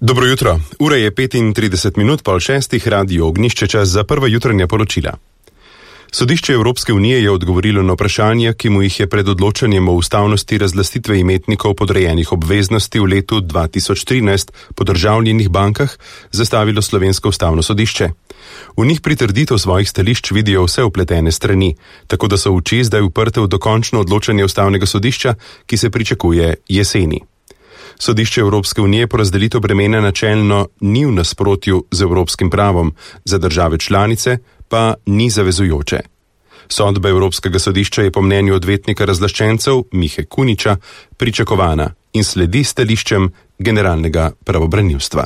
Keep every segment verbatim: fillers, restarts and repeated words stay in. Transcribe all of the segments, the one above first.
Dobro jutro. Ura je petintrideset minut pol šestih, radio Ognjišče, čas za prva jutranja poročila. Sodišče Evropske unije je odgovorilo na vprašanja, ki mu jih je pred odločanjem o ustavnosti razlastitve imetnikov podrejenih obveznosti v letu dva tisoč trinajst po državljenih bankah zastavilo slovensko ustavno sodišče. V njih pritrditev svojih stališč vidijo vse vpletene strani, tako da so oči zdaj uprte v dokončno odločanje ustavnega sodišča, ki se pričakuje jeseni. Sodišče Evropske unije porazdelitev bremena načelno ni v nasprotju z evropskim pravom, za države članice pa ni zavezujoče. Sodba Evropskega sodišča je po mnenju odvetnika razlaščencev Mihe Kuniča pričakovana in sledi stališčem generalnega pravobranilstva.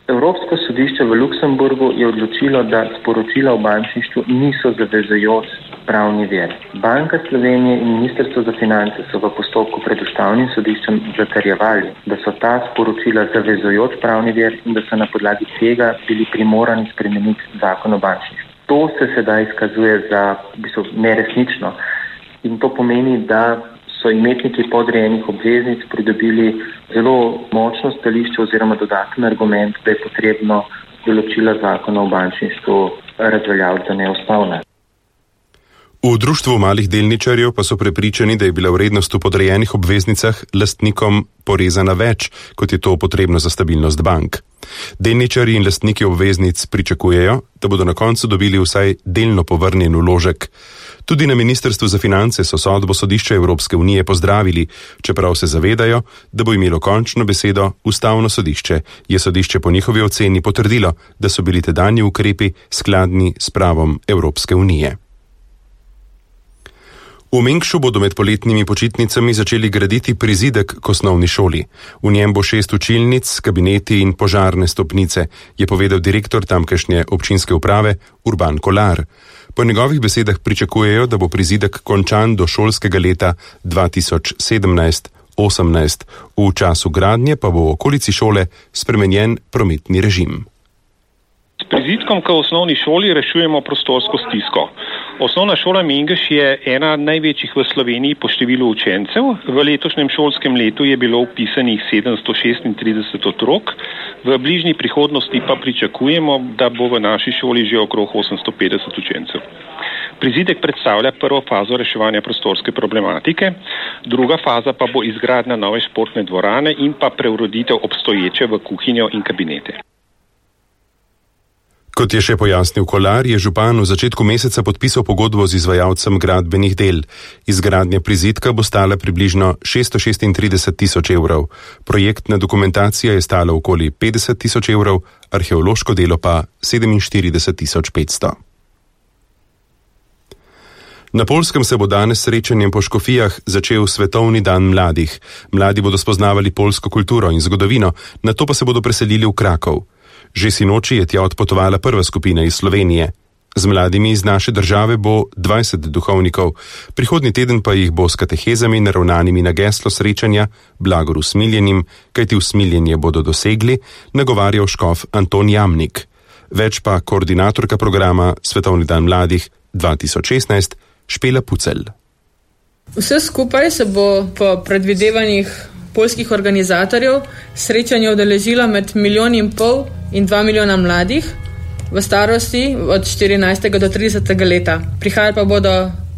Evropsko sodišče v Luksemburgu je odločilo, da sporočila o bančništvu niso zavezujoč pravni vir. Banka Slovenije in Ministrstvo za finance so v postopku pred ustavnim sodiščem zatrjevali, da so ta sporočila zavezujoč pravni vir in da so na podlagi tega bili primorani spremeniti zakon o bančništvu. To se sedaj izkazuje za v bistvu neresnično in to pomeni, da so imetniki podrejenih obveznic pridobili zelo močno stališče oziroma dodaten argument, da je potrebno določila zakona o bančništvu razveljaviti za neustavne. V društvu malih delničarjev pa so prepričani, da je bila vrednost v podrejenih obveznicah lastnikom porezana več, kot je to potrebno za stabilnost bank. Delničarji in lastniki obveznic pričakujejo, da bodo na koncu dobili vsaj delno povrnjen vložek. Tudi na Ministrstvu za finance so sodbo sodišča Evropske unije pozdravili, čeprav se zavedajo, da bo imelo končno besedo ustavno sodišče, je sodišče po njihovi oceni potrdilo, da so bili tedanji ukrepi skladni s pravom Evropske unije. V Mengšu bodo med poletnimi počitnicami začeli graditi prizidek k osnovni šoli. V njem bo šest učilnic, kabineti in požarne stopnice, je povedal direktor tamkajšnje občinske uprave Urban Kolar. Po njegovih besedah pričakujejo, da bo prizidek končan do šolskega leta dva tisoč sedemnajst osemnajst. V času gradnje pa bo v okolici šole spremenjen prometni režim. S prizidkom k osnovni šoli rešujemo prostorsko stisko. Osnovna šola Mengeš je ena največjih v Sloveniji po številu učencev. V letošnjem šolskem letu je bilo vpisanih sedemsto šestintrideset otrok. V bližnji prihodnosti pa pričakujemo, da bo v naši šoli že okrog osemsto petdeset učencev. Prizidek predstavlja prvo fazo reševanja prostorske problematike, druga faza pa bo izgradnja nove športne dvorane in pa preureditev obstoječe v kuhinjo in kabinete. Kot je še pojasnil Kolar, je župan v začetku meseca podpisal pogodbo z izvajalcem gradbenih del. Izgradnja prizidka bo stala približno šeststo šestintrideset tisoč evrov. Projektna dokumentacija je stala okoli petdeset tisoč evrov, arheološko delo pa sedeminštirideset tisoč petsto. Na Poljskem se bo danes srečanjem po Škofijah začel Svetovni dan mladih. Mladi bodo spoznavali poljsko kulturo in zgodovino, nato pa se bodo preselili v Krakov. Že sinoči je tja odpotovala prva skupina iz Slovenije. Z mladimi iz naše države bo dvajset duhovnikov, prihodnji teden pa jih bo s katehezami naravnanimi na geslo srečanja Blagor usmiljenim, kajti usmiljenje bodo dosegli, nagovarjal škof Anton Jamnik. Več pa koordinatorka programa Svetovni dan mladih dva tisoč šestnajst Špela Pucelj. Vse skupaj se bo po predvidevanjih poljskih organizatorjev srečanje udeležilo med milijon in pol in dva milijona mladih v starosti od štirinajstega do tridesetega leta. Prihajali pa bodo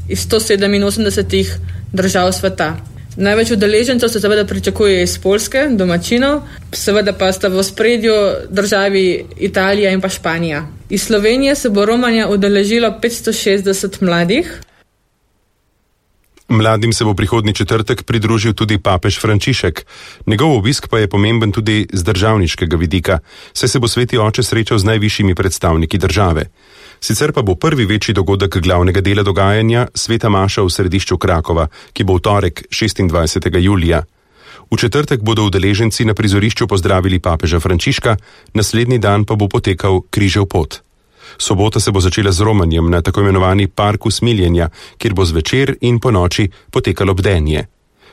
iz sto sedeminosemdesetih držav sveta. Največ udeležencev se seveda pričakuje iz Poljske, domačinov, seveda pa sta v ospredju državi Italija in pa Španija. Iz Slovenije se bo romanja udeležilo petsto šestdeset mladih. Mladim se bo prihodnji četrtek pridružil tudi papež Frančišek. Njegov obisk pa je pomemben tudi z državniškega vidika, saj se bo sveti oče srečal z najvišjimi predstavniki države. Sicer pa bo prvi večji dogodek glavnega dela dogajanja sveta maša v središču Krakova, ki bo v torek šestindvajsetega julija. V četrtek bodo udeleženci na prizorišču pozdravili papeža Frančiška, naslednji dan pa bo potekal križev pot. Sobota se bo začela z romanjem na tako imenovani park usmiljenja, kjer bo zvečer in po noči potekalo bdenje.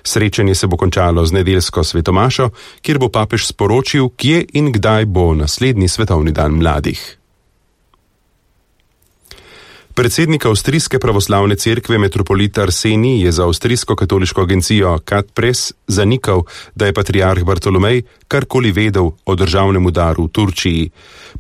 Srečanje se bo končalo z nedeljsko svetomašo, kjer bo papež sporočil, kje in kdaj bo naslednji svetovni dan mladih. Predsednik avstrijske pravoslavne cerkve metropolit Arsenij je za avstrijsko katoliško agencijo Kat Press zanikal, da je patriarh Bartolomej karkoli vedel o državnem udaru v Turčiji.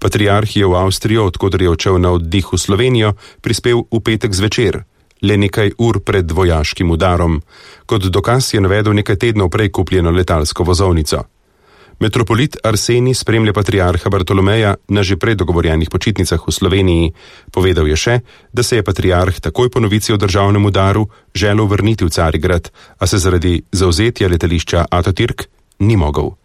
Patriarh je v Avstrijo, odkudar je odšel na oddih v Slovenijo, prispel v petek zvečer, le nekaj ur pred vojaškim udarom. Kot dokaz je navedel nekaj tednov prej kupljeno letalsko vozovnico. Metropolit Arsenij spremlja patriarha Bartolomeja na že prej dogovorjenih počitnicah v Sloveniji. Povedal je še, da se je patriarh takoj po novici o državnem udaru želel vrniti v Carigrad, a se zaradi zavzetja letališča Atatürk ni mogel.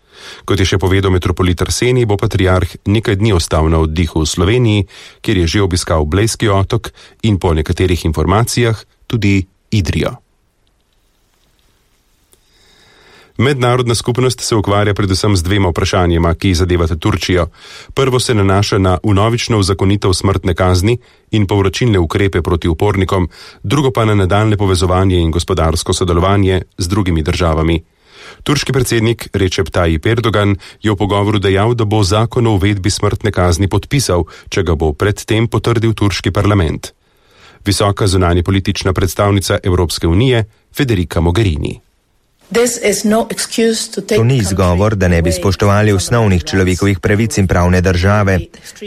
Kot je še povedal metropolit Arsenij, bo patriarh nekaj dni ostal na oddihu v Sloveniji, kjer je že obiskal Blejski otok in po nekaterih informacijah tudi Idrijo. Mednarodna skupnost se ukvarja predvsem z dvema vprašanjima, ki zadevata Turčijo. Prvo se nanaša na vnovično uzakonitev smrtne kazni in povračilne ukrepe proti upornikom, drugo pa na nadaljne povezovanje in gospodarsko sodelovanje z drugimi državami. Turški predsednik Recep Tayyip Erdogan je v pogovoru dejal, da bo zakon o uvedbi smrtne kazni podpisal, če ga bo predtem potrdil turški parlament. Visoka zunanje politična predstavnica Evropske unije Federica Mogherini. To ni izgovor, da ne bi spoštovali osnovnih človekovih pravic in pravne države.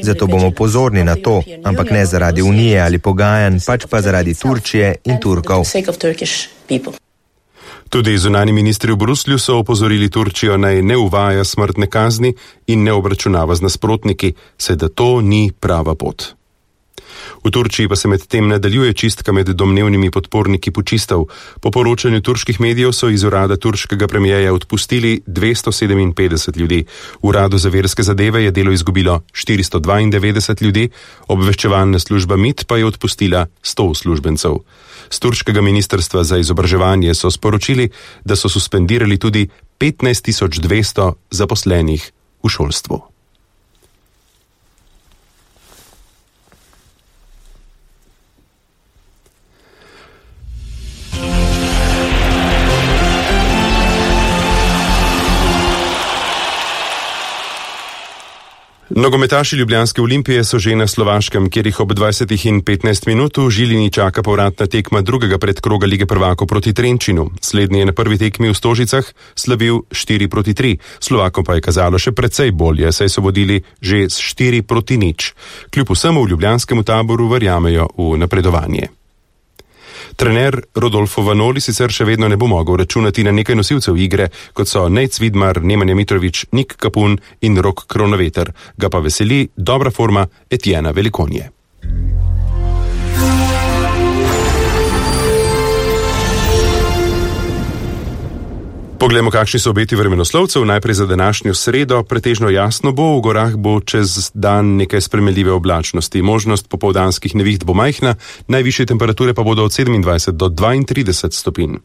Zato bomo pozorni na to, ampak ne zaradi Unije ali pogajanj, pač pa zaradi Turčije in Turkov. Tudi zunani ministri v Bruslju so opozorili Turčijo, naj ne uvaja smrtne kazni in ne obračunava z nasprotniki, saj da to ni prava pot. V Turčiji pa se med tem nadaljuje čistka med domnevnimi podporniki pučistov. Po poročanju turških medijev so iz urada turškega premijeja odpustili dvesto sedeminpetdeset ljudi. Uradu za verske zadeve je delo izgubilo štiristo dvaindevetdeset ljudi, obveščevalna služba M I T pa je odpustila sto uslužbencev. Z turškega ministrstva za izobraževanje so sporočili, da so suspendirali tudi petnajst tisoč dvesto zaposlenih v šolstvu. Nogometaši ljubljanske Olimpije so že na Slovaškem, kjer jih ob dvajsetih in petnajst minut v Žilini čaka povratna tekma drugega predkroga Lige prvakov proti Trenčinu. Slednji je na prvi tekmi v Stožicah slavil štiri proti tri. Slovakom pa je kazalo še precej bolje, saj so vodili že s štiri proti nič. Kljub vsemu v ljubljanskemu taboru verjamejo v napredovanje. Trener Rodolfo Vanoli sicer še vedno ne bo mogel računati na nekaj nosilcev igre, kot so Nejc Vidmar, Nemanja Mitrović, Nik Kapun in Rok Kronaveter. Ga pa veseli dobra forma Etiena Velikonje. Poglejmo, kakšni so obeti vremenoslovcev. Najprej za današnjo sredo. Pretežno jasno bo, v gorah bo čez dan nekaj spremenljive oblačnosti. Možnost popoldanskih neviht bo majhna, najvišje temperature pa bodo od sedemindvajset do dvaintrideset stopinj.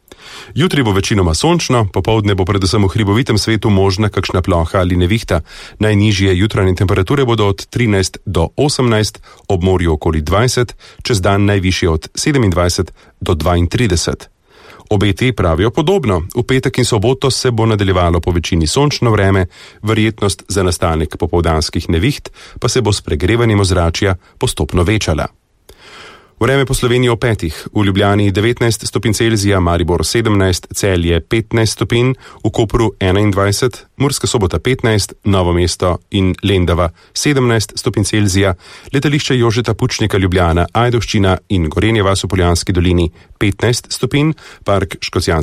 Jutri bo večinoma sončno, popoldne bo predvsem v hribovitem svetu možna kakšna ploha ali nevihta. Najnižje jutranje temperature bodo od trinajst do osemnajst, ob morju okoli dvajset, čez dan najvišje od sedemindvajset do dvaintrideset. Obeti pravijo podobno. V petek in soboto se bo nadaljevalo po večini sončno vreme, verjetnost za nastanek popoldanskih neviht pa se bo s pregrevanjem ozračja postopno večala. Vreme po Sloveniji o petih. V Ljubljani devetnajst stopinj Celzija, Maribor sedemnajst, Celje petnajst stopinj, v Kopru enaindvajset, Murska Sobota petnajst, Novo mesto in Lendava sedemnajst stopinj Celzija, letališče Jožeta Pučnika Ljubljana, Ajdovščina in Gorenje vas v Poljanski dolini petnajst stopinj, park Škocjanske